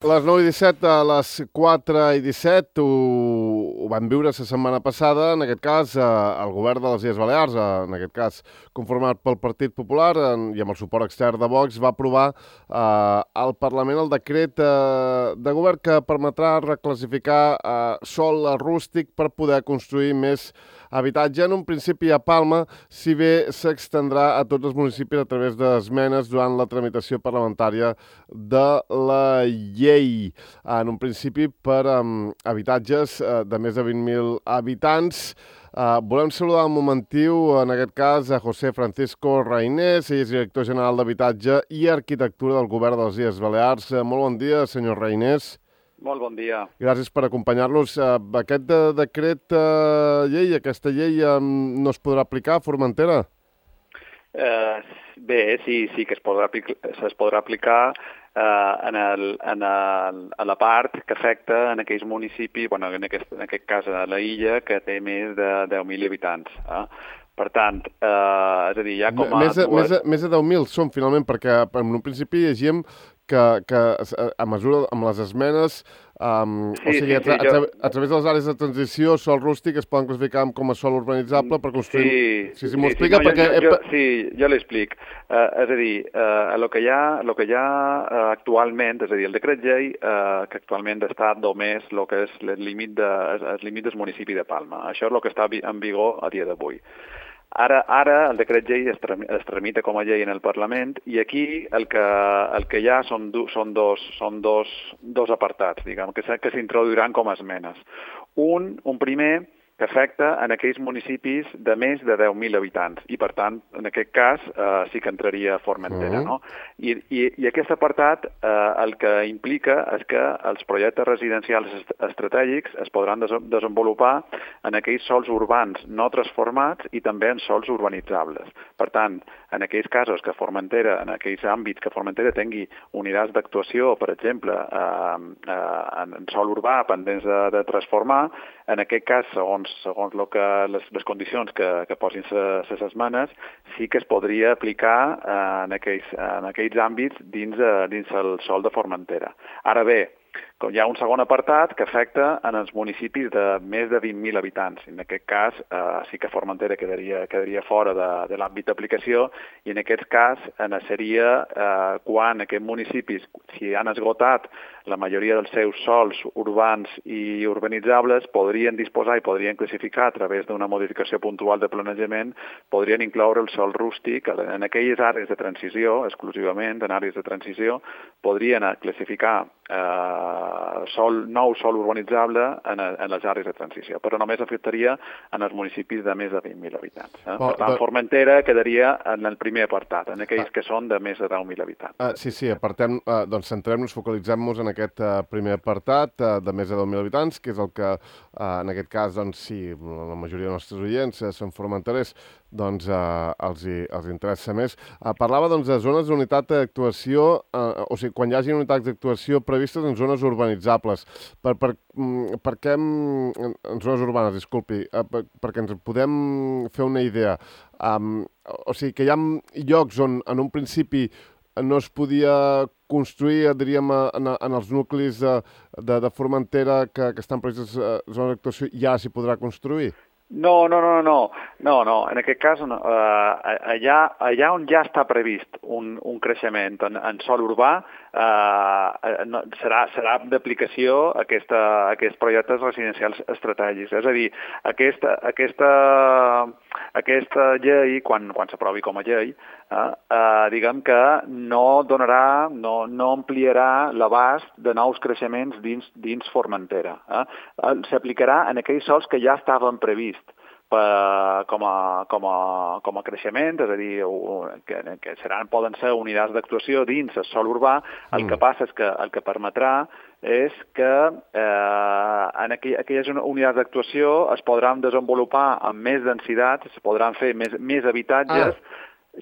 Les 9:17 a les 4:17 ho vam viure la setmana passada, en aquest cas, el govern de les Illes Balears, en aquest cas conformat pel Partit Popular i amb el suport extern de Vox, va aprovar al Parlament el decret de govern que permetrà reclassificar sòl rústic per poder construir més habitatge. En un principi a Palma, si bé s'extendrà a tots els municipis a través d'esmenes durant la tramitació parlamentària de la llei. En un principi per habitatges de més de 20.000 habitants. Volem saludar un momentiu, en aquest cas, a José Francisco Reynés, ell és director general d'Habitatge i Arquitectura del Govern de les Illes Balears. Molt bon dia, senyor Reynés. Molt bon dia. Gràcies per acompanyar-nos. Aquest decret llei, aquesta llei no es podrà aplicar a Formentera? Bé, sí que es podrà aplicar a la part que afecta en aquells municipis, bueno, en aquest cas a la illa, que té més de 10.000 habitants. Per tant, és a dir, ja com a... Més de 10.000 són, finalment, perquè en un principi llegíem que a mesura amb les esmenes, a través de les àrees de transició, sòl rústic es poden classificar com a sòl urbanitzable per construir... Sí, m'ho explica perquè... Sí, jo l'explic. És a dir, el que hi ha actualment, és a dir, el decret llei que actualment està només el que és el límit del municipi de Palma. Això és el que està en vigor a dia d'avui. Ara el decret llei es tramita com a llei en el Parlament i aquí el que hi ha són dos apartats, diguem, que s'introduiran com a esmenes. Un primer que afecta en aquells municipis de més de 10.000 habitants i, per tant, en aquest cas sí que entraria Formentera, no? I aquest apartat el que implica és que els projectes residencials estratègics es podran desenvolupar en aquells sòls urbans no transformats i també en sòls urbanitzables. Per tant, en aquells casos que Formentera, en aquells àmbits que Formentera tingui unitats d'actuació, per exemple, en sòl urbà pendents de transformar, en aquest cas, segons les condicions que posin les esmenes, sí que es podria aplicar en aquells àmbits dins el sòl de Formentera. Ara bé, hi ha un segon apartat que afecta en els municipis de més de 20.000 habitants. En aquest cas, sí que Formentera quedaria fora de l'àmbit d'aplicació i en aquest cas seria quan aquests municipis, si han esgotat la majoria dels seus sòls urbans i urbanitzables, podrien disposar i podrien classificar a través d'una modificació puntual de planejament, podrien incloure el sòl rústic en aquelles àrees de transició, exclusivament en àrees de transició, podrien classificar nou sòl urbanitzable en les àrees de transició, però només afectaria en els municipis de més de 20.000 habitants. Per tant, Formentera quedaria en el primer apartat, en aquells que són de més de 10.000 habitants. Sí, doncs centrem-nos, focalitzem-nos en aquest primer apartat de més de 10.000 habitants, que és el que, en aquest cas, doncs sí, la majoria dels nostres oients són formenterers, doncs els interessa més. Parlava doncs de zones d'unitat d'actuació, o sigui, quan hi hagi unitats d'actuació previstes en zones urbanitzables. Per què en zones urbanes, disculpi, perquè ens podem fer una idea. O sigui, que hi ha llocs on en un principi no es podia construir, diríem, en els nuclis de Formentera que estan previstes zones d'actuació, ja s'hi podrà construir? No. En aquest cas, allà on ja està previst un creixement en sòl urbà, serà d'aplicació aquests projectes residencials estratègics. És a dir, aquesta llei, quan s'aprovi com a llei, diguem que no ampliarà l'abast de nous creixements dins Formentera. S'aplicarà en aquells sòls que ja estaven prevists com a creixement, és a dir, que poden ser unitats d'actuació dins el sòl urbà. El que passa és que el que permetrà és que en aquelles unitats d'actuació es podran desenvolupar amb més densitat, es podran fer més habitatges.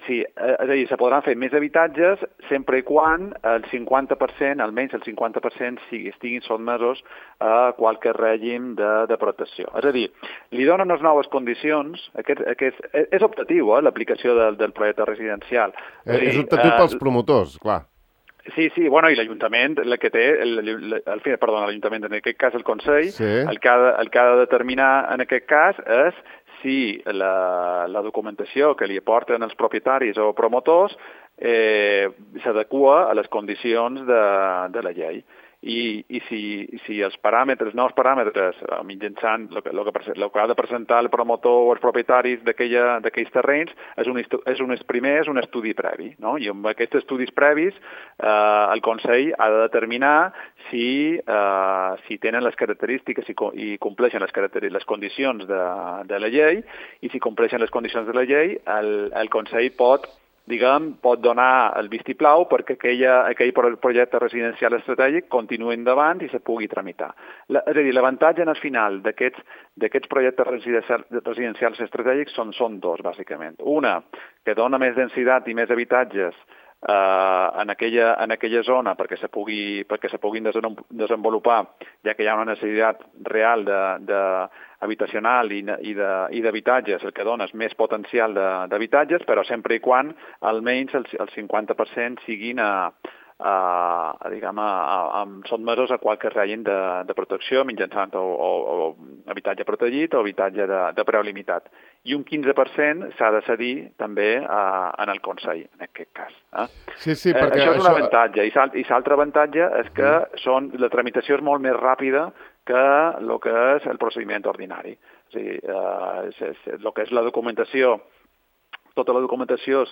Sí, és a dir, se podran fer més habitatges sempre i quan el 50%, almenys el 50% estiguin sotmesos a qualque règim de protecció. És a dir, li donen unes noves condicions, és optatiu l'aplicació del projecte residencial. És optatiu pels promotors, clar. Sí, bueno, i l'Ajuntament, el que té, l'Ajuntament, en aquest cas el Consell, Sí. el que ha de determinar en aquest cas és si la documentació que li aporten els propietaris o promotors s'adequa a les condicions de la llei. I si els nous paràmetres, mitjançant el que ha de presentar el promotor o els propietaris d'aquells terrenys, és un estudi previ, no? I amb aquests estudis previs el Consell ha de determinar si tenen les característiques i compleixen les condicions de la llei, i si compleixen les condicions de la llei, el Consell pot donar el vistiplau perquè aquell projecte residencial estratègic continuï endavant i se pugui tramitar. És a dir, l'avantatge en el final d'aquests projectes residencials estratègics són dos, bàsicament. Una, que dona més densitat i més habitatges en aquella zona perquè se puguin desenvolupar, ja que hi ha una necessitat real habitacional i d'habitatges, el que dona és més potencial d'habitatges, però sempre i quan almenys el 50% siguin sotmesos a qualque règim de protecció mitjançant o habitatge protegit o habitatge de preu limitat. I un 15% s'ha de cedir també en el Consell, en aquest cas. Sí, perquè això és un avantatge. I l'altre avantatge és que la tramitació és molt més ràpida que el que és el procediment ordinari. O sigui, el que és la documentació, tota la documentació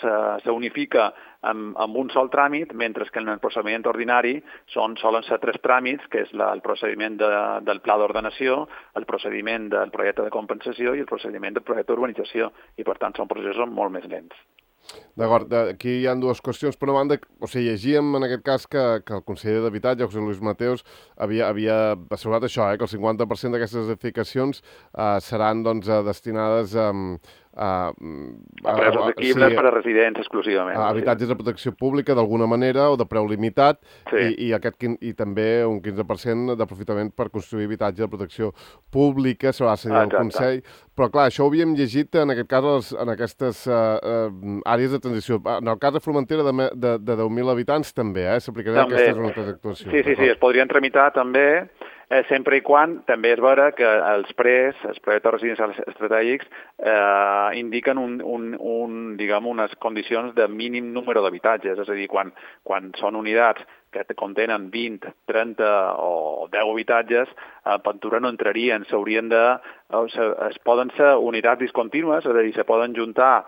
s'unifica amb un sol tràmit, mentre que en el procediment ordinari solen ser 3 tràmits, que és el procediment del pla d'ordenació, el procediment del projecte de compensació i el procediment del projecte d'urbanització, i per tant són processos molt més lents. D'acord, aquí hi ha dues qüestions. Per una banda, llegíem en aquest cas que el conseller d'Habitatge, José Luis Mateos, havia assegurat això, que el 50% d'aquestes edificacions seran destinades a preus assequibles per a residents exclusivament. Habitatges de protecció pública d'alguna manera o de preu limitat, i també un 15% d'aprofitament per construir habitatge de protecció pública, s'haurà de cedir al Consell. Però clar, això ho havíem llegit en aquest cas en aquestes àrees de transició. En el cas de Formentera de 10.000 habitants també s'aplicarien aquestes unitats d'actuació. Sí, es podrien tramitar també, sempre i quan també és vera que els projectes residencials estratègics indiquen unes condicions de mínim número d'habitatges, és a dir, quan són unitats que contenen 20, 30 o 10 habitatges, a Ventura no entrarien, poden ser unitats discontínues, és a dir, se poden juntar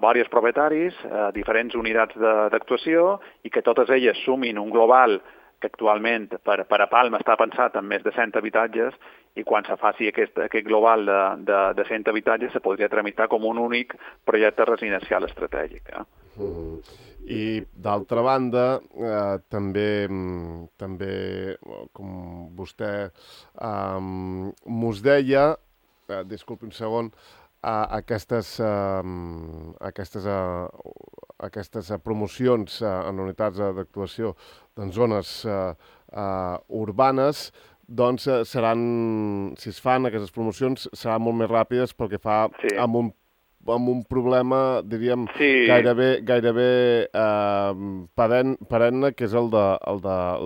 diversos propietaris, diferents unitats d'actuació, i que totes elles sumin un global que actualment per a Palma està pensat en més de 100 habitatges, i quan se faci aquest global de 100 habitatges se podria tramitar com un únic projecte residencial estratègic. I d'altra banda, també, com vostè mos deia, disculpi un segon, aquestes promocions en unitats d'actuació en zones urbanes, doncs seran, si es fan aquestes promocions, seran molt més ràpides perquè fa amb un problema, diríem, gairebé perenne, que és el de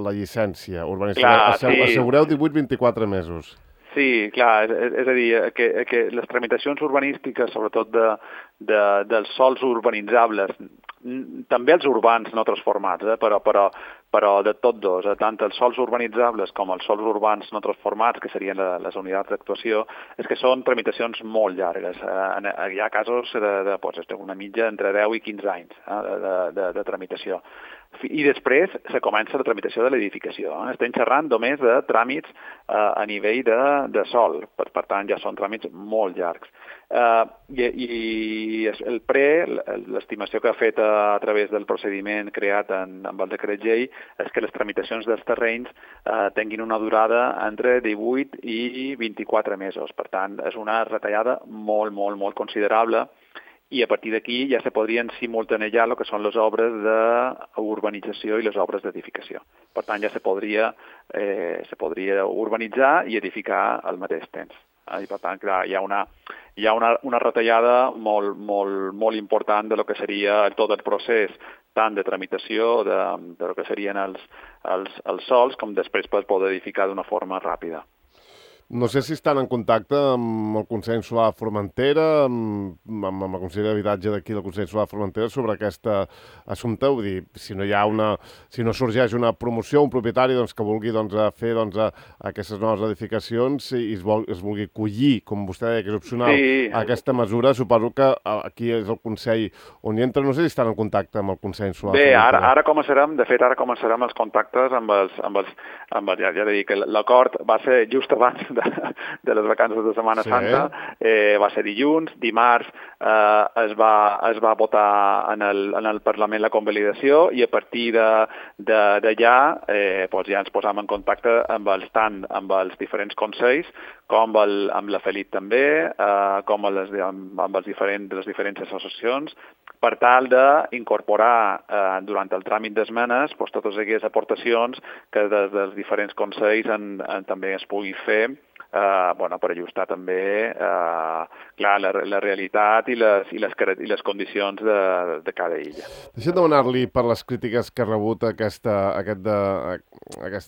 la llicència urbanística. Assegureu 18-24 mesos. Sí, clar, és a dir, que les tramitacions urbanístiques, sobretot dels sòls urbanitzables, també els urbans no transformats, però de tots dos, tant els sòls urbanitzables com els sòls urbans no transformats, que serien les unitats d'actuació, és que són tramitacions molt llargues. Hi ha casos d'una mitja entre 10 i 15 anys de tramitació. I després se comença la tramitació de l'edificació. Estem xerrant només de tràmits a nivell de sòl, per tant ja són tràmits molt llargs. I l'estimació que ha fet a través del procediment creat amb el decret llei és que les tramitacions dels terrenys tinguin una durada entre 18 i 24 mesos. Per tant, és una retallada molt, molt, molt considerable, i a partir d'aquí ja se podrien simultanejar el que són les obres d'urbanització i les obres d'edificació. Per tant, ja se podria urbanitzar i edificar al mateix temps. I per tant, clar, hi ha una retallada molt, molt, molt important de lo que seria tot el procés, tant de tramitació de que serien els sols, com després per poder edificar d'una forma ràpida. No sé si estan en contacte amb el Consell Insular de Formentera, amb la Conselleria d'Habitatge d'aquí del Consell Insular de Formentera sobre aquest assumpte. Vull dir, si no sorgeix una promoció, un propietari que vulgui fer aquestes noves edificacions i es vulgui collir, com vostè deia, que és opcional, aquesta mesura, suposo que aquí és el Consell on hi entra. No sé si estan en contacte amb el Consell Insular de Formentera. Bé, ara començarem els contactes ja dic que l'acord va ser just abans de les vacances de Setmana Santa, va ser dilluns, dimarts es va votar en el Parlament la convalidació i a partir d'allà ja ens posam en contacte tant amb els diferents consells com amb la FELIT també, com amb les diferents associacions, per tal d'incorporar durant el tràmit d'esmenes totes aquelles aportacions que des dels diferents consells també es pugui fer per ajustar també la realitat i les condicions de cada illa. Deixem demanar-li per les crítiques que ha rebut aquesta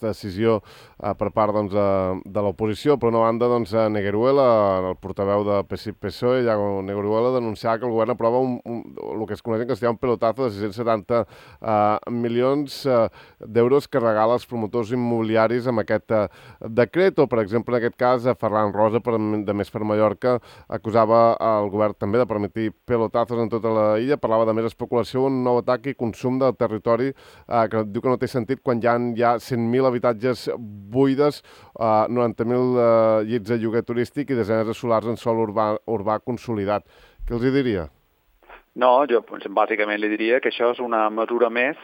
decisió per part de l'oposició. Per una banda, Negueruela, el portaveu de PSOE, Iago Negueruela, denunciava que el govern aprova el que es coneix en castellà un pelotazo de 670 milions d'euros que regala als promotors immobiliaris amb aquest decret, o, per exemple, en aquest cas, Ferran Rosa, de Més per Mallorca, acusava el govern també de permetre pelotazos en tota la illa, parlava de més especulació, un nou atac i consum del territori, que diu que no té sentit quan hi ha 100.000 habitatges buides, 90.000 llits de lloguer turístic i desenes de solars en sòl urbà consolidat. Què els hi diria? No, jo bàsicament li diria que això és una mesura més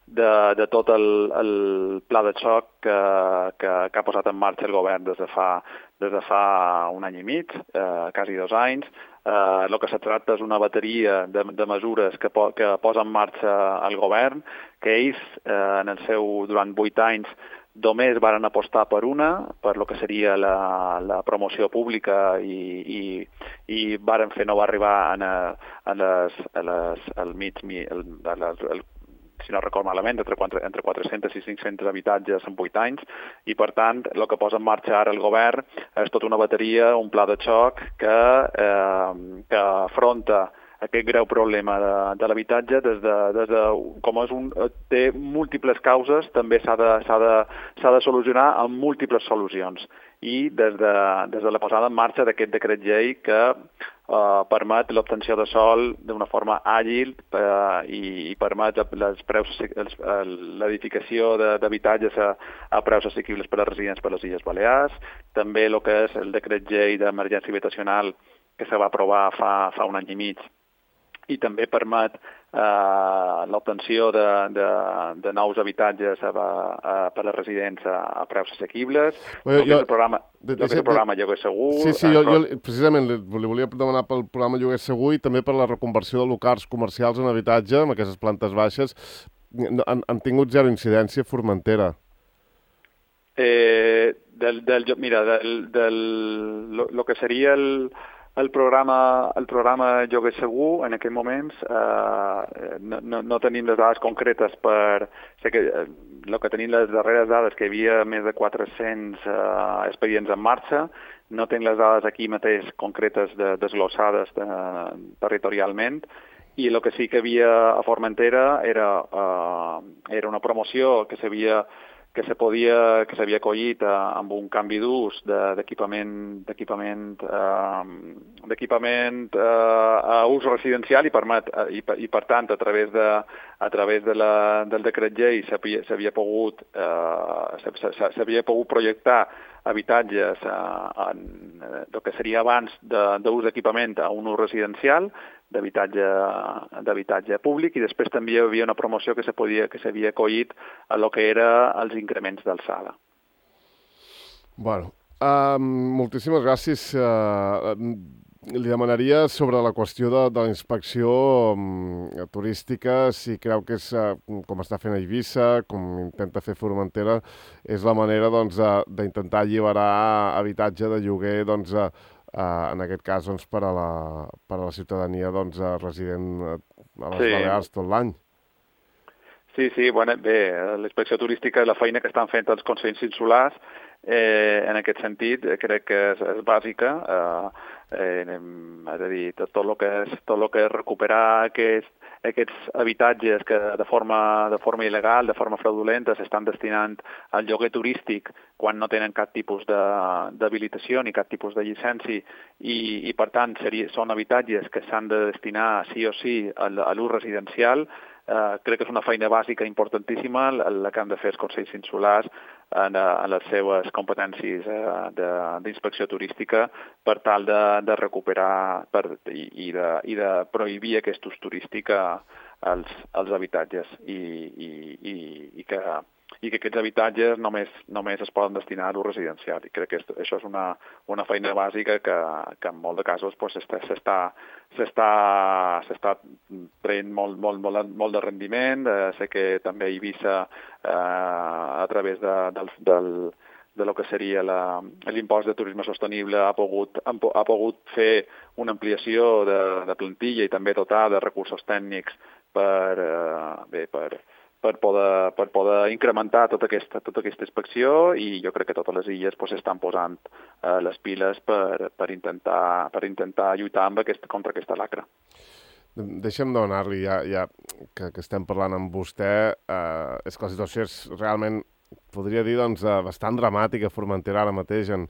de tot el pla de xoc que ha posat en marxa el govern des de fa un any i mig, quasi 2 anys. El que se tracta és una bateria de mesures que posa en marxa el govern, que ells, durant 8 anys, només varen apostar per el que seria la promoció pública i varen fer, no va arribar al mig, si no recordo malament, entre 400 i 500 habitatges en 8 anys, i per tant el que posa en marxa ara el govern és tota una bateria, un pla de xoc que afronta aquest greu problema de l'habitatge té múltiples causes, també s'ha de solucionar amb múltiples solucions. I des de la posada en marxa d'aquest decret llei que permet l'obtenció de sòl d'una forma àgil i permet l'edificació d'habitatges a preus assequibles per als residents per les Illes Balears, també el que és el decret llei d'emergència habitacional que se va aprovar fa un any i mig i també permet l'obtenció de nous habitatges per a les residents a preus assequibles, el programa Lloguer Segur... Sí, jo precisament li volia demanar pel programa Lloguer Segur i també per la reconversió de locals comercials en habitatge, amb aquestes plantes baixes. Han tingut zero incidència a Formentera. Mira, el que seria el programa Lloguer Segur, en aquests moments, no tenim les dades concretes sé que el que tenim les darreres dades, que hi havia més de 400 expedients en marxa, no tenim les dades aquí mateix concretes desglossades territorialment, i el que sí que hi havia a Formentera era una promoció que s'havia acollit amb un canvi d'ús d'equipament a ús residencial i per tant a través del decret llei s'havia pogut projectar habitatges el que seria abans d'ús d'equipament a un ús residencial, d'habitatge públic, i després també hi havia una promoció que s'havia acollit a lo que era els increments d'alçada. Bueno, moltíssimes gràcies. Li demanaria sobre la qüestió de la inspecció turística, si creu que és, com està fent a Eivissa, com intenta fer Formentera, és la manera d'intentar alliberar habitatge de lloguer en aquest cas per a la ciutadania resident a les Balears tot l'any. Sí, bueno, bé, la inspecció turística i la feina que estan fent els consells insulars, en aquest sentit, crec que és bàsica, és a dir, tot el que és recuperar aquests habitatges que de forma il·legal, de forma fraudulenta, s'estan destinant al lloguer turístic quan no tenen cap tipus d'habilitació ni cap tipus de llicència i per tant, són habitatges que s'han de destinar sí o sí a l'ús residencial. Crec que és una feina bàsica importantíssima la que han de fer els consells insulars en les seves competències d'inspecció turística per tal de recuperar i de prohibir aquest ús turístic als habitatges i que aquests habitatges només es poden destinar a l'ús residencial. I crec que això és una feina bàsica que en molts de casos s'està traient molt de rendiment. Sé que també Eivissa, a través de lo que seria l'impost de turisme sostenible, ha pogut fer una ampliació de plantilla i també dotar de recursos tècnics per poder incrementar tota aquesta inspecció, i jo crec que totes les illes estan posant les piles per intentar lluitar contra aquesta lacra. Deixa'm demanar-li, ja que estem parlant amb vostè, és que la situació és realment, podria dir, doncs, bastant dramàtica a Formentera ara mateix en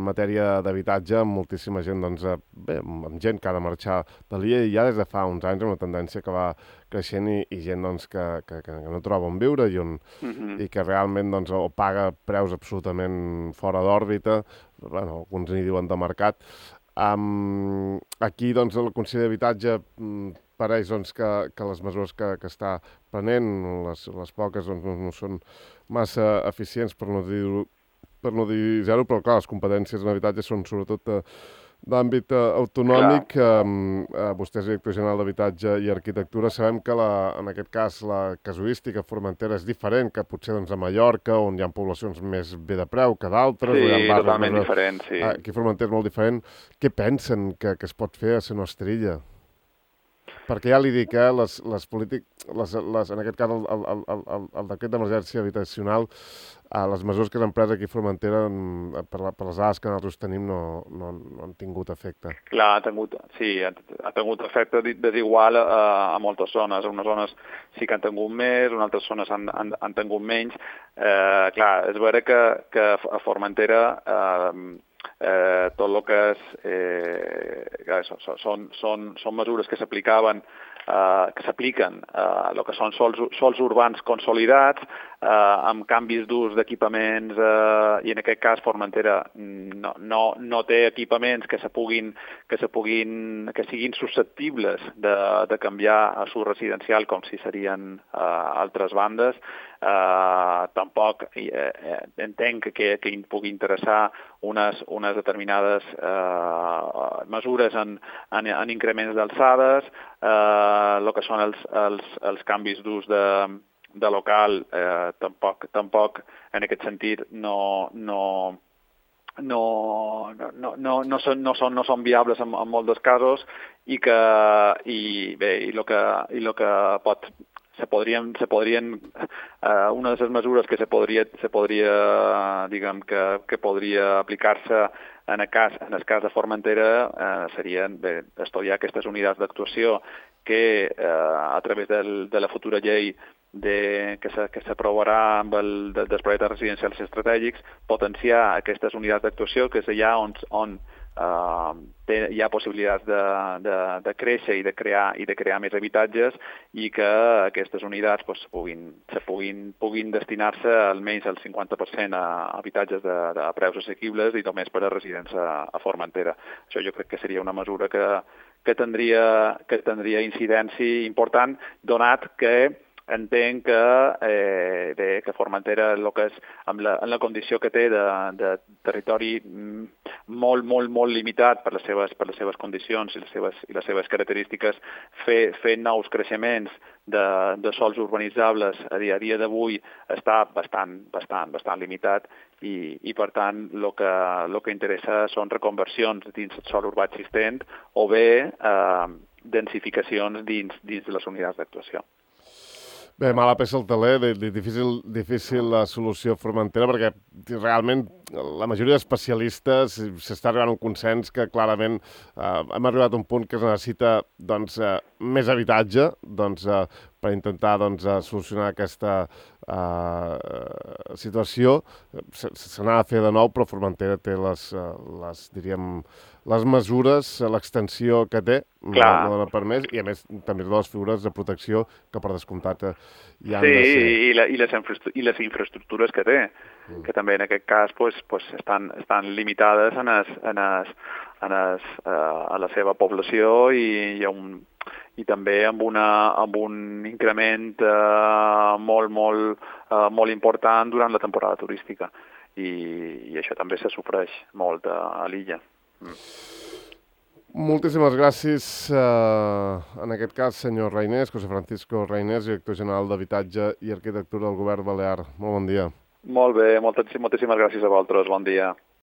matèria d'habitatge, amb moltíssima gent, doncs, amb gent que ha de marxar de l'illa i ja des de fa uns anys, una tendència que va creixent i gent doncs, que no troba on viure i que realment doncs, o paga preus absolutament fora d'òrbita, alguns n'hi diuen de mercat. Aquí doncs, el Consell d'Habitatge pareix doncs, que les mesures que està prenent, les poques, doncs, no són massa eficients, per no dir zero, però clar, les competències en habitatge són sobretot d'àmbit autonòmic. Vostè és director general d'Habitatge i Arquitectura. Sabem que en aquest cas la casuística a Formentera és diferent que potser doncs, a Mallorca, on hi ha poblacions més bé de preu que d'altres. Sí, totalment diferent, sí. Aquí a Formentera és molt diferent. Què pensen que es pot fer a la nostra illa? Perquè ja li dic, les polítiques, en aquest cas el decret d'emergència habitacional, les mesures que s'han pres aquí a Formentera per les dades que nosaltres tenim no han tingut efecte. Clar, ha tingut efecte desigual a moltes zones. Unes zones sí que han tingut més, en altres zones han tingut menys. Clar, és veritat que a Formentera tot el que són mesures que s'apliquen a el que són sols urbans consolidats, amb canvis d'ús d'equipaments, i en aquest cas Formentera no té equipaments que siguin susceptibles de canviar a l'ús residencial com si serien altres bandes. Tampoc entenc que pugui interessar unes determinades mesures en increments d'alçades, el que són els canvis d'ús de local, tampoc en aquest sentit no són viables en molts dels casos, i el que una de les mesures que podria aplicar-se en el cas de Formentera serien estudiar aquestes unitats d'actuació que a través de la futura llei que s'aprovarà amb dels projectes residencials estratègics, potenciar aquestes unitats d'actuació, que és allà on hi ha possibilitats de créixer i de crear més habitatges, i que aquestes unitats puguin destinar-se almenys el 50% a habitatges de preus assequibles i només per a residents a Formentera. Això jo crec que seria una mesura que tindria incidència important, donat que entenc que Formentera, en la condició que té de territori molt limitat per les seves condicions i les seves característiques, fer nous creixements de sòls urbanitzables a dia d'avui està bastant limitat, i per tant el que interessa són reconversions dins el sòl urbà existent o bé densificacions dins de les unitats d'actuació. Bé, mala peça al taler, difícil la solució Formentera, perquè realment la majoria d'especialistes s'està arribant a un consens que clarament hem arribat a un punt que es necessita doncs, més habitatge per intentar solucionar aquesta situació. Se n'ha de fer de nou, però Formentera té diríem, les mesures, l'extensió que té, no dona per més, i a més també les figures de protecció que per descomptat hi han de ser. I les infraestructures que té, que també en aquest cas estan limitades a la seva població i també amb un increment molt important durant la temporada turística. I això també se sofreix molt a l'illa. Moltíssimes gràcies, en aquest cas, senyor Reinés, José Francisco Reinés, director general d'Habitatge i Arquitectura del Govern Balear. Molt bon dia. Molt bé, moltíssimes gràcies a vosaltres. Bon dia.